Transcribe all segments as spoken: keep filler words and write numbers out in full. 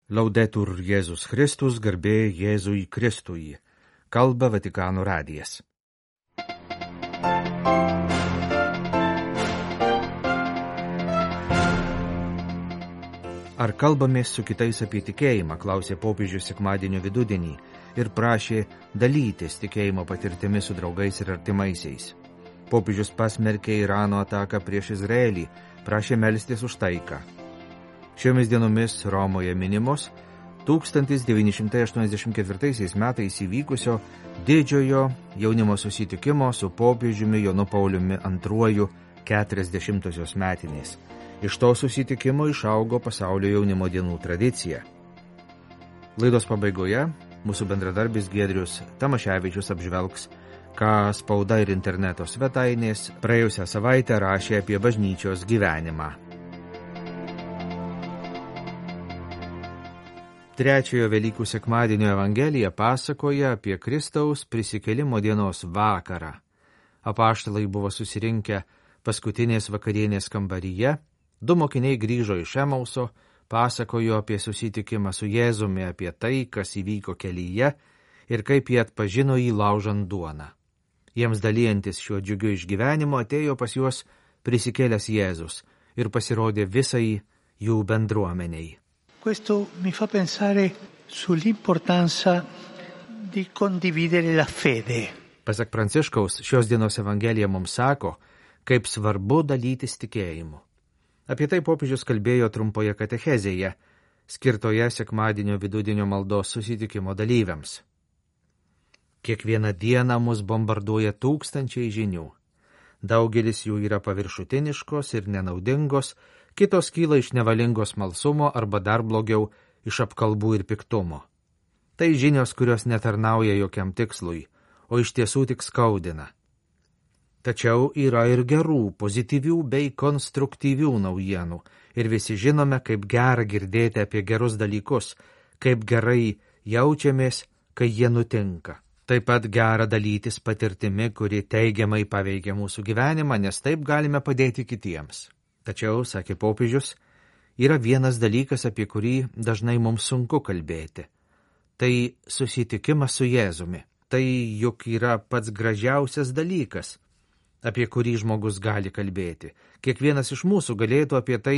Laudetur Jėzus Kristus, garbė Jėzui Kristui. Kalba Vatikano radijas. Ar kalbamės su kitais apie tikėjimą, klausė popiežius sekmadienio vidudienį ir prašė dalytis tikėjimo patirtimi su draugais ir artimaisiais. Popiežius pasmerkė Irano ataką prieš Izraelį, prašė melstis už taiką. Šiomis dienomis Romoje minimos tūkstantis devyni šimtai aštuoniasdešimt ketvirtaisiais metais įvykusio didžiojo jaunimo susitikimo su popiežiumi Jonu Pauliumi antruoju keturiasdešimtosios metinės. Iš to susitikimo išaugo pasaulio jaunimo dienų tradicija. Laidos pabaigoje mūsų bendradarbis Giedrius Tamaševičius apžvelgs, ką spauda ir interneto svetainės praėjusią savaitę rašė apie bažnyčios gyvenimą. Trečiojo Velykų sekmadienio Evangelija pasakoja apie Kristaus prisikėlimo dienos vakarą. Apaštalai buvo susirinkę paskutinės vakarienės kambaryje, du mokiniai grįžo iš Emauso, pasakojo apie susitikimą su Jėzumi, apie tai, kas įvyko kelyje ir kaip jie atpažino jį laužant duoną. Jiems dalyjantis šiuo džiugiu išgyvenimu atėjo pas juos prisikėlęs Jėzus ir pasirodė visai jų bendruomeniai. Questo mi fa pensare sull'importanza di condividere la fede. Pasak Pranciškaus, šios dienos Evangelija mums sako, kaip svarbu dalytis tikėjimu. Apie tai popiežius kalbėjo trumpoje katechezėje, skirtoje sekmadienio vidudienio maldos susitikimo dalyviams. Kiekvieną dieną mus bombarduoja tūkstančiai žinių. Daugelis jų yra paviršutiniškos ir nenaudingos, kitos kyla iš nevalingo smalsumo arba dar blogiau iš apkalbų ir piktumo. Tai žinios, kurios netarnauja jokiam tikslui, o iš tiesų tik skaudina. Tačiau yra ir gerų, pozityvių bei konstruktyvių naujienų ir visi žinome, kaip gera girdėti apie gerus dalykus, kaip gerai jaučiamės, kai jie nutinka. Taip pat gera dalytis patirtimi, kuri teigiamai paveikia mūsų gyvenimą, nes taip galime padėti kitiems. Tačiau, sakė popiežius, yra vienas dalykas, apie kurį dažnai mums sunku kalbėti. Tai susitikimas su Jėzumi. Tai juk yra pats gražiausias dalykas, apie kurį žmogus gali kalbėti. Kiekvienas iš mūsų galėtų apie tai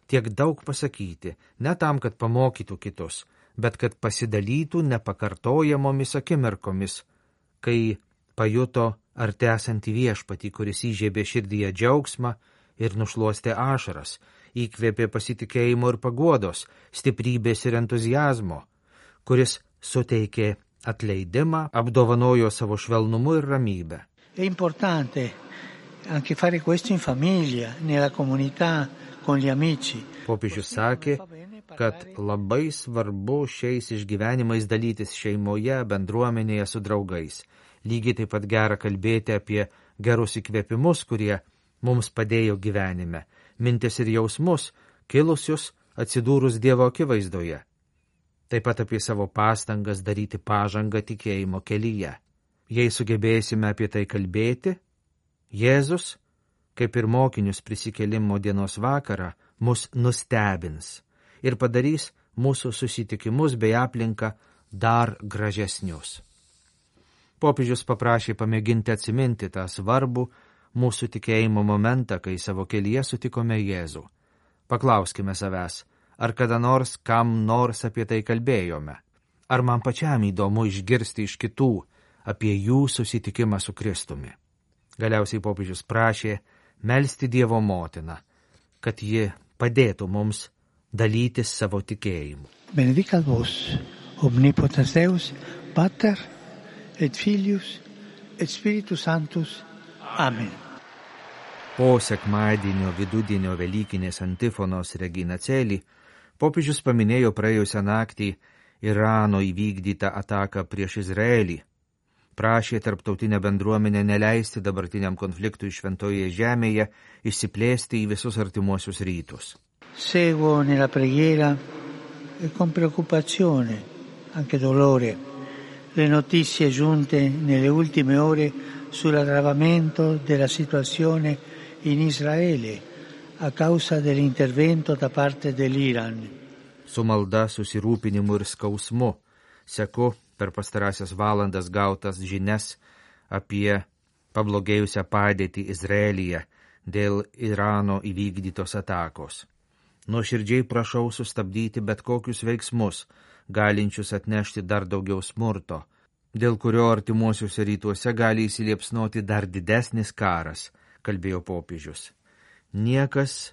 tiek daug pasakyti, ne tam, kad pamokytų kitus, bet kad pasidalytų nepakartojamomis akimirkomis, kai pajuto artesantį viešpatį, kuris įžiebė širdyje džiaugsmą ir nušluostė ašaras, įkvėpė pasitikėjimo ir paguodos, stiprybės ir entuziazmo, kuris suteikė atleidimą, apdovanojo savo švelnumu ir ramybę. È importante anche fare questo in famiglia, nella comunità, con gli amici. Popiežius sakė, kad labai svarbu šiais išgyvenimais dalytis šeimoje, bendruomenėje su draugais. Lygiai taip pat gera kalbėti apie gerus įkvėpimus, kurie mums padėjo gyvenime, mintis ir jausmus, kilusius atsidūrus Dievo akivaizdoje. Taip pat apie savo pastangas daryti pažangą tikėjimo kelyje. Jei sugebėsime apie tai kalbėti, Jėzus, kaip ir mokinius prisikėlimo dienos vakarą, mus nustebins ir padarys mūsų susitikimus bei aplinką dar gražesnius. Popiežius paprašė pamėginti atsiminti tą svarbų mūsų tikėjimo momentą, kai savo kelyje sutikome Jėzų. Paklauskime savęs, ar kada nors kam nors apie tai kalbėjome? Ar man pačiam įdomu išgirsti iš kitų apie jų susitikimą su Kristumi? Galiausiai popiežius prašė melsti Dievo motiną, kad ji padėtų mums dalytis savo tikėjimu. Benedicat vos, omnipotens Deus, Pater et Filius et Spiritus Sanctus. Amen. Po sekmadienio vidudienio velykinės antifonos Regina Coeli, popiežius paminėjo praėjusią naktį Irano įvykdytą ataką prieš Izraelį. Prašė tarptautinę bendruomenę neleisti dabartiniam konfliktui šventoje žemėje išsiplėsti į visus artimuosius rytus. Seguo nella preghiera e con preoccupazione, anche dolore, le notizie giunte nelle ultime ore sull'aggravamento della situazione in Israele a causa dell'intervento da parte dell'Iran. Su malda, susirūpinimu ir skausmu seku per pastarąsias valandas gautas žinias apie pablogėjusią padėtį Izraelyje dėl Irano įvykdytos atakos. Nuoširdžiai prašau sustabdyti bet kokius veiksmus, galinčius atnešti dar daugiau smurto, dėl kurio artimuosiuose rytuose gali įsiliepsnoti dar didesnis karas, kalbėjo popiežius. Niekas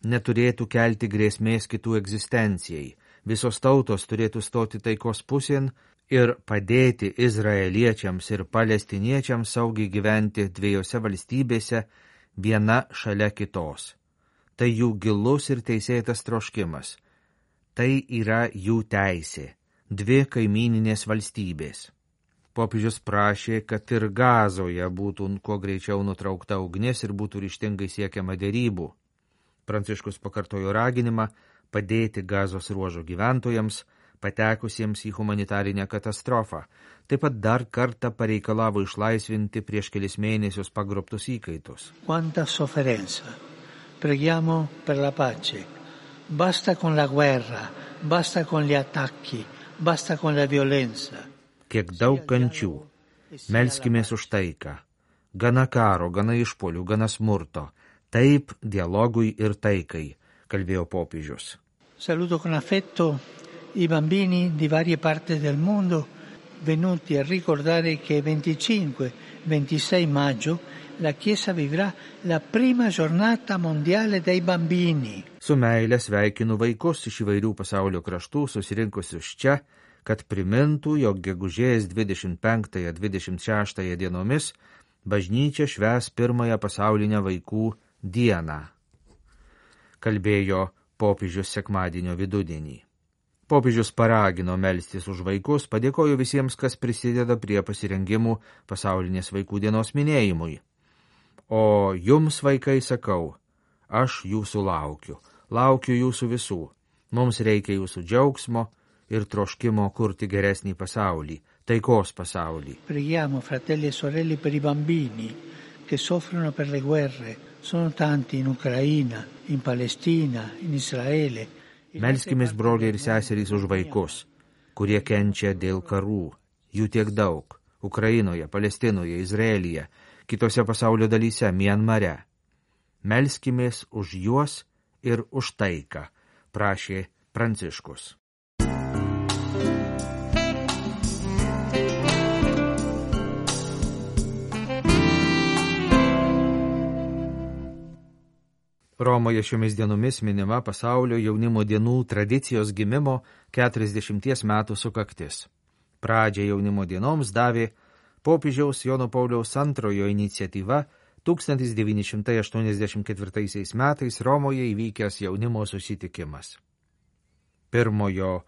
neturėtų kelti grėsmės kitų egzistencijai, visos tautos turėtų stoti taikos pusėn ir padėti izraeliečiams ir palestiniečiams saugiai gyventi dviejose valstybėse viena šalia kitos. Tai jų gilus ir teisėtas troškimas. Tai yra jų teisė, dvi kaimyninės valstybės. Popiežius prašė, kad ir Gazoje būtų kuo greičiau nutraukta ugnis ir būtų ryžtingai siekiama derybų. Pranciškus pakartojo raginimą padėti Gazos ruožo gyventojams, patekusiems į humanitarinę katastrofą. Taip pat dar kartą pareikalavo išlaisvinti prieš kelis mėnesius pagrobtus įkaitus. Quanta sofferenza. Preghiamo per la pace. Basta con la guerra, basta con gli attacchi, basta con la violenza. Kiek daug kančių. Melskimės už taiką. Gana karo, gana išpolių, gana smurto. Taip dialogui ir taikai, kalbėjo popiežius. Saluto con affetto i bambini di varie parti del mondo venuti a ricordare che venticinque ventisei maggio la Chiesa vivrà la prima giornata mondiale dei bambini. Su meile sveikinu vaikus iš įvairių pasaulio kraštų susirinkusius čia, kad primintų, jog gegužės dvidešimt penktąją dvidešimt šeštąją dienomis bažnyčia švęs pirmąją pasaulinę vaikų dieną, kalbėjo popiežius sekmadienio vidudienį. Popiežius paragino melstis už vaikus, padėkojo visiems, kas prisideda prie pasirengimų pasaulinės vaikų dienos minėjimui. O jums, vaikai, sakau, aš jūsų laukiu, laukiu jūsų visų. Mums reikia jūsų džiaugsmo ir troškimo kurti geresnį pasaulį, taikos pasaulį. Preghiamo, fratelli e sorelle, per i bambini che soffrono per le guerre. Sono tanti in Ucraina, in Palestina, in Israele. Melskimės, broliai ir seserys, už vaikus, kurie kenčia dėl karų. Jų tiek daug. Ukrainoje, Palestinoje, Izraelyje, kitose pasaulio dalyse, Mianmare. Melskimės už juos ir už taiką, prašė Pranciškus. Romoje šiomis dienomis minima pasaulio jaunimo dienų tradicijos gimimo keturiasdešimties metų sukaktis. Pradžią jaunimo dienoms davė popiežiaus Jono Pauliaus antrojo iniciatyva tūkstantis devyni šimtai aštuoniasdešimt ketvirtaisiais metais Romoje įvykęs jaunimo susitikimas. Pirmojo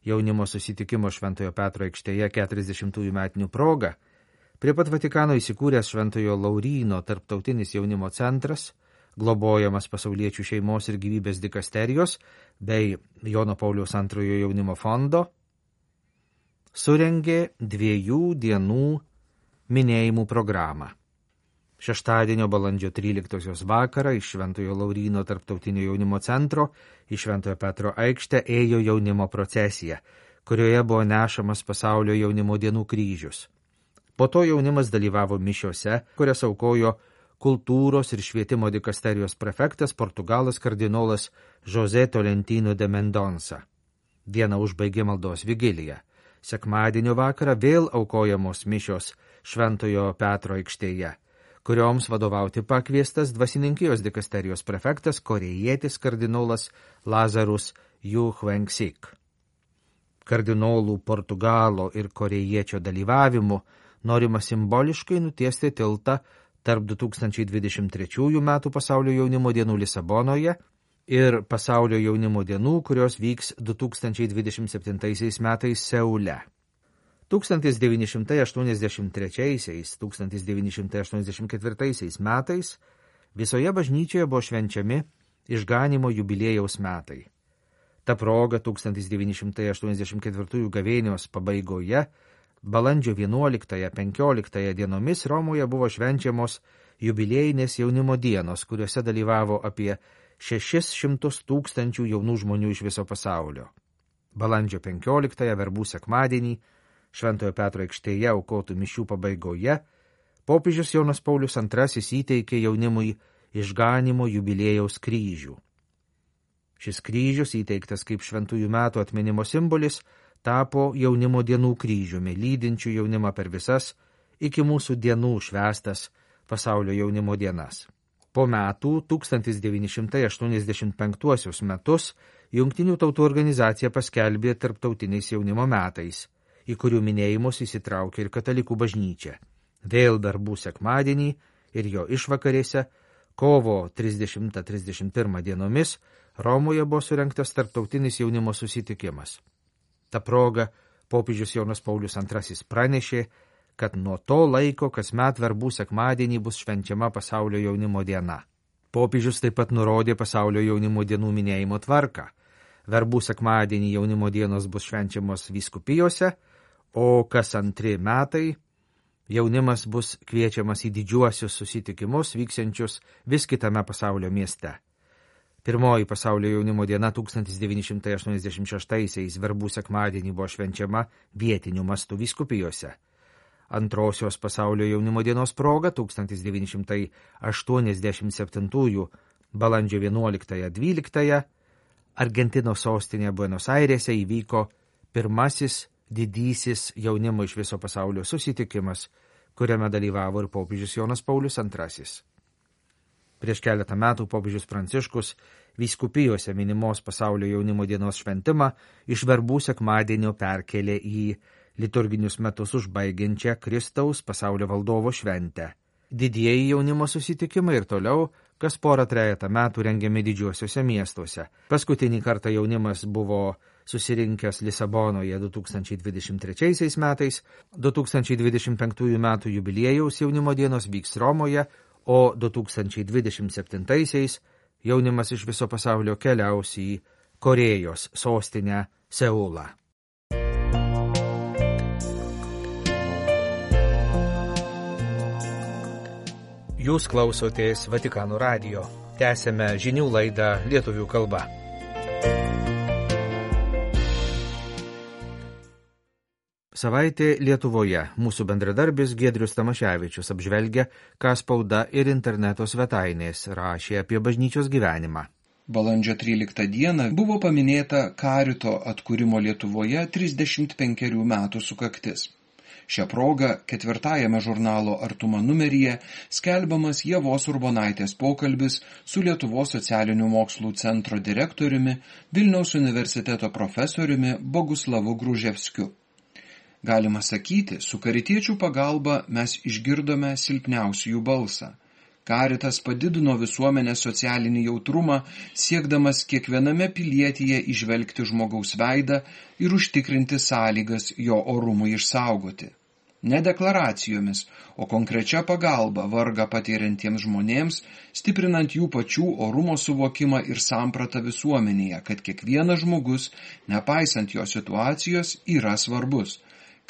jaunimo susitikimo Šventojo Petro aikštėje keturiasdešimtųjų metinių proga prie pat Vatikano įsikūręs Šventojo Lauryno tarptautinis jaunimo centras, globojamas pasauliečių šeimos ir gyvybės dikasterijos bei Jono Pauliaus antrojo jaunimo fondo, surengė dviejų dienų minėjimų programą. Šeštadienio balandžio tryliktosios vakarą iš Šventojo Lauryno tarptautinio jaunimo centro į Šventojo Petro aikštę ėjo jaunimo procesija, kurioje buvo nešamas pasaulio jaunimo dienų kryžius. Po to jaunimas dalyvavo mišiose, kurias aukojo kultūros ir švietimo dikasterijos prefektas Portugalas kardinolas José Tolentino de Mendonça. Dieną užbaigė maldos vigilija. Sekmadienio vakarą vėl aukojamos mišios Šventojo Petro aikštėje, kurioms vadovauti pakviestas dvasininkijos dikasterijos prefektas korėjietis kardinolas Lazarus Yu Hvengsik. Kardinolų Portugalo ir korėjiečio dalyvavimu norima simboliškai nutiesti tiltą tarp du tūkstančiai dvidešimt trečiųjų metų pasaulio jaunimo dienų Lisabonoje ir pasaulio jaunimo dienų, kurios vyks du tūkstančiai dvidešimt septintaisiais metais Seule. tūkstantis devyni šimtai aštuoniasdešimt trečiaisiais - tūkstantis devyni šimtai aštuoniasdešimt ketvirtaisiais metais visoje bažnyčioje buvo švenčiami išganymo jubiliejaus metai. Ta proga tūkstantis devyni šimtai aštuoniasdešimt ketvirtųjų gavėnios pabaigoje balandžio vienuoliktąją penkioliktąją dienomis Romoje buvo švenčiamos jubiliejinės jaunimo dienos, kuriuose dalyvavo apie šešis šimtus tūkstančių jaunų žmonių iš viso pasaulio. Balandžio penkioliktąją verbų sekmadienį Šventojo Petro aikštėje aukotų mišių pabaigoje popiežius Jonas Paulius antrasis įteikė jaunimui išganimo jubiliejaus kryžių. Šis kryžius, įteiktas kaip šventųjų metų atminimo simbolis, tapo jaunimo dienų kryžiumi, lydinčių jaunimą per visas iki mūsų dienų švęstas pasaulio jaunimo dienas. Po metų, tūkstantis devyni šimtai aštuoniasdešimt penktuosius metus, Jungtinių tautų organizacija paskelbė tarptautiniais jaunimo metais, į kurių minėjimus įsitraukė ir katalikų bažnyčia. Vėl verbų sekmadienį ir jo išvakarėse, kovo trisdešimtą trisdešimt pirmą dienomis, Romoje buvo surengtas tarptautinis jaunimo susitikimas. Ta proga popiežius Jonas Paulius antrasis pranešė, kad nuo to laiko kasmet verbų sekmadienį bus švenčiama pasaulio jaunimo diena. Popiežius taip pat nurodė pasaulio jaunimo dienų minėjimo tvarką. Verbų sekmadienį jaunimo dienos bus švenčiamos vyskupijose, o kas antri metai jaunimas bus kviečiamas į didžiuosius susitikimus vyksiančius vis kitame pasaulio mieste. Pirmoji pasaulio jaunimo diena tūkstantis devyni šimtai aštuoniasdešimt šeštaisiais verbų sekmadienį buvo švenčiama vietiniu mastu vyskupijose. Antrosios pasaulio jaunimo dienos proga tūkstantis devyni šimtai aštuoniasdešimt septintųjų balandžio vienuoliktąją dvyliktąją Argentinos sostinėje Buenos Airėse įvyko pirmasis didysis jaunimo iš viso pasaulio susitikimas, kuriame dalyvavo ir popiežius Jonas Paulius antrasis. Prieš keletą metų popiežius Pranciškus vyskupijose minimos pasaulio jaunimo dienos šventimą iš verbų sekmadienio perkelė į liturginius metus užbaigiančią Kristaus pasaulio valdovo šventę. Didieji jaunimo susitikimai ir toliau, kas porą trejetą metų rengiami didžiuosiuose miestuose. Paskutinį kartą jaunimas buvo susirinkęs Lisabonoje du tūkstančiai dvidešimt trečiaisiais metais, du tūkstančiai dvidešimt penktųjų metų jubiliejaus jaunimo dienos vyks Romoje, o du tūkstančiai dvidešimt septintaisiais jaunimas iš viso pasaulio keliaus į Korėjos sostinę Seulą. Jūs klausotės Vatikano radijo. Tęsėme žinių laidą lietuvių kalba. Savaitė Lietuvoje. Mūsų bendradarbis Giedrius Tamaševičius apžvelgia, ką spauda ir interneto svetainės rašė apie bažnyčios gyvenimą. Balandžio tryliktą dieną buvo paminėta Karito atkūrimo Lietuvoje trisdešimt penkerių metų sukaktis. Šią progą ketvirtajame žurnalo Artuma numeryje skelbiamas Ievos Urbonaitės pokalbis su Lietuvos socialinių mokslų centro direktoriumi, Vilniaus universiteto profesoriumi Boguslavu Gruževskiu. Galima sakyti, su karitiečių pagalba mes išgirdome silpniausiųjų balsą. Karitas padidino visuomenės socialinį jautrumą, siekdamas kiekviename pilietyje įžvelgti žmogaus veidą ir užtikrinti sąlygas jo orumui išsaugoti. Ne deklaracijomis, o konkrečia pagalba vargą patiriantiems žmonėms, stiprinant jų pačių orumo suvokimą ir sampratą visuomenėje, kad kiekvienas žmogus, nepaisant jo situacijos, yra svarbus,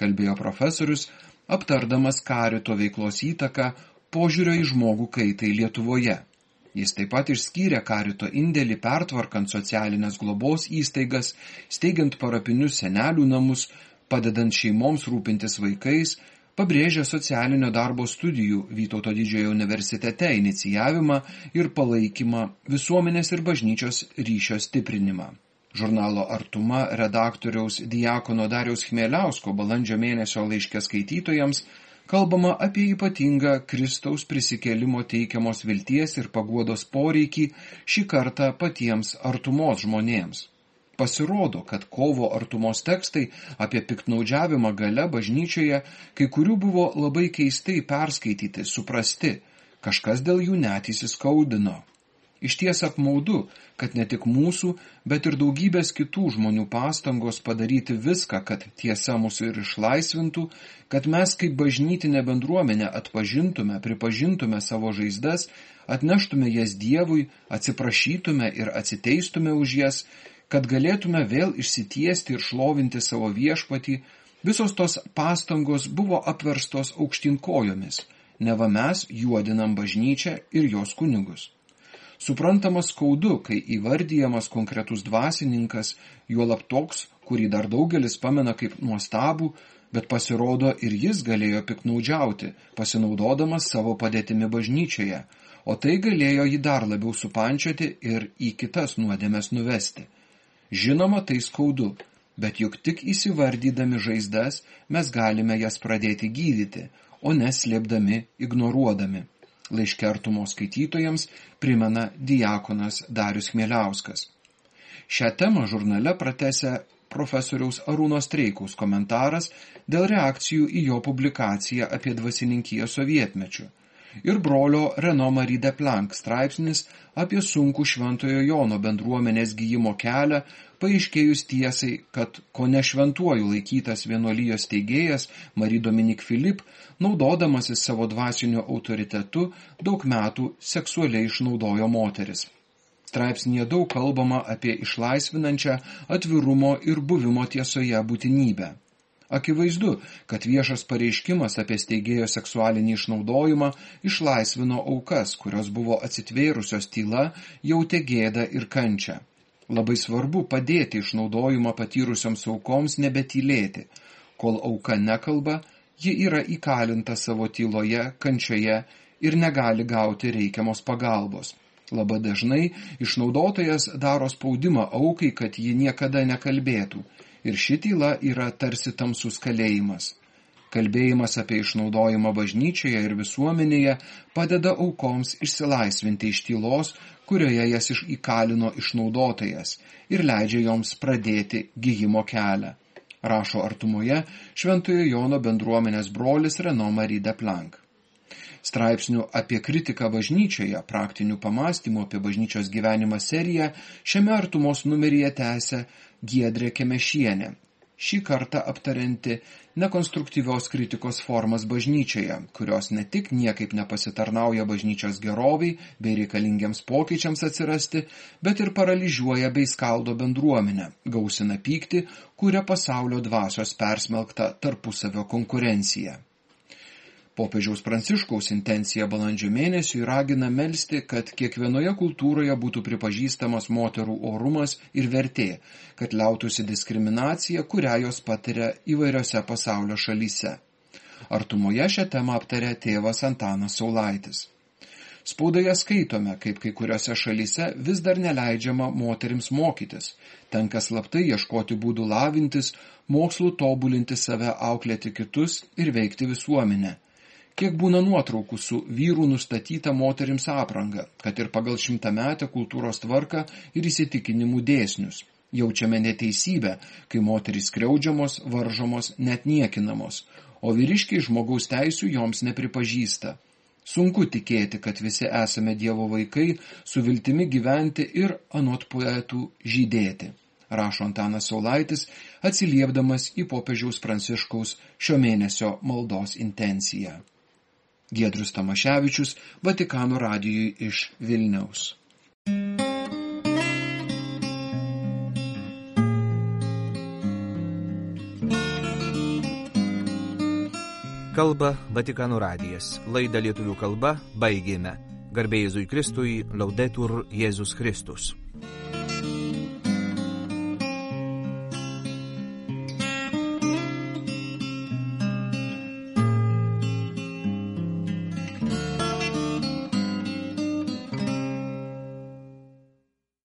kalbėjo profesorius, aptardamas Karito veiklos įtaką požiūrio į žmogų kaitai Lietuvoje. Jis taip pat išskyrė Karito indėlį pertvarkant socialinės globos įstaigas, steigiant parapinius senelių namus, padedant šeimoms rūpintis vaikais, pabrėžė socialinio darbo studijų Vytauto Didžiojo universitete inicijavimą ir palaikymą, visuomenės ir bažnyčios ryšio stiprinimą. Žurnalo Artuma redaktoriaus Diakono Dariaus Chmieliausko balandžio mėnesio laiške skaitytojams kalbama apie ypatingą Kristaus prisikėlimo teikiamos vilties ir paguodos poreikį šį kartą patiems artumos žmonėms. Pasirodo, kad kovo artumos tekstai apie piktnaudžiavimą gale bažnyčioje kai kurių buvo labai keistai perskaityti, suprasti, kažkas dėl jų net įsiskaudino. Išties apmaudu, kad ne tik mūsų, bet ir daugybės kitų žmonių pastangos padaryti viską, kad tiesa mūsų ir išlaisvintų, kad mes kaip bažnytinė bendruomenė atpažintume, pripažintume savo žaizdas, atneštume jas Dievui, atsiprašytume ir atsiteistume už jas, kad galėtume vėl išsitiesti ir šlovinti savo viešpatį, visos tos pastangos buvo apverstos aukštyn kojomis, neva mes juodinam bažnyčią ir jos kunigus. Suprantama skaudu, kai įvardyjamas konkretus dvasininkas, juolab toks, kurį dar daugelis pamena kaip nuostabų, bet pasirodo ir jis galėjo piknaudžiauti, pasinaudodamas savo padėtimi bažnyčioje, o tai galėjo jį dar labiau supančioti ir į kitas nuodėmes nuvesti. Žinoma, tai skaudu, bet juk tik įsivardydami žaizdas mes galime jas pradėti gydyti, o neslėpdami, ignoruodami. Laiške Artumos skaitytojams primena diakonas Darius Chmieliauskas. Šią temą žurnale pratęsia profesoriaus Arūno Streikaus komentaras dėl reakcijų į jo publikaciją apie dvasininkiją sovietmečiu ir brolio Renaud Marie de Planck straipsnis apie sunkų Šventojo Jono bendruomenės gijimo kelią, paaiškėjus tiesai, kad kone šventuoju laikytas vienuolijos steigėjas Marie Dominique Philippe, naudodamasis savo dvasiniu autoritetu, daug metų seksualiai išnaudojo moteris. Straipsnėje daug kalbama apie išlaisvinančią atvirumo ir buvimo tiesoje būtinybę. Akivaizdu, kad viešas pareiškimas apie steigėjo seksualinį išnaudojimą išlaisvino aukas, kurios buvo atsitvėrusios tyla, jautė gėdą ir kančią. Labai svarbu padėti išnaudojimą patyrusioms aukoms nebetylėti. Kol auka nekalba, ji yra įkalinta savo tyloje, kančioje ir negali gauti reikiamos pagalbos. Labai dažnai išnaudotojas daro spaudimą aukai, kad ji niekada nekalbėtų. Ir ši tyla yra tarsi tamsus kalėjimas. Kalbėjimas apie išnaudojimą bažnyčioje ir visuomenėje padeda aukoms išsilaisvinti iš tylos, kurioje jas įkalino išnaudotojas, ir leidžia joms pradėti gijimo kelią. Rašo Artumoje Šventojo Jono bendruomenės brolis Renaud Marie de Planck. Straipsnių apie kritiką bažnyčioje, praktinių pamastymų apie bažnyčios gyvenimą seriją šiame Artumos numeryje tęsia Giedrė Kemešienė, šį kartą aptarianti nekonstruktyvios kritikos formas bažnyčioje, kurios ne tik niekaip nepasitarnauja bažnyčios geroviai bei reikalingiams pokyčiams atsirasti, bet ir paralyžiuoja bei skaldo bendruomenę, gausina pyktį, kuria pasaulio dvasios persmelkta tarpusavio konkurencija. Popiežiaus Pranciškaus intencija balandžio mėnesiui ragina melsti, kad kiekvienoje kultūroje būtų pripažįstamas moterų orumas ir vertė, kad liautųsi diskriminacija, kurią jos patiria įvairiose pasaulio šalyse. Artumoje šią temą aptarė tėvas Antanas Saulaitis. Spaudoje skaitome, kaip kai kuriuose šalyse vis dar neleidžiama moterims mokytis, tenka slaptai ieškoti būdų lavintis, mokslų tobulinti save, auklėti kitus ir veikti visuomenę. Kiek būna nuotraukų su vyrų nustatyta moterims apranga, kad ir pagal šimtametę kultūros tvarką ir įsitikinimų dėsnius. Jaučiame neteisybę, kai moterys skriaudžiamos, varžomos, net niekinamos, o vyriškiai žmogaus teisių joms nepripažįsta. Sunku tikėti, kad visi esame Dievo vaikai, su viltimi gyventi ir anot poetų žydėti, rašo Antanas Saulaitis, atsiliepdamas į popiežiaus Pranciškaus šio mėnesio maldos intenciją. Giedrius Tamaševičius, Vatikano radijui iš Vilniaus. Kalba Vatikano radijas. Laidą lietuvių kalba baigėme. Garbė Jėzui Kristui, Laudetur Jėzus Kristus.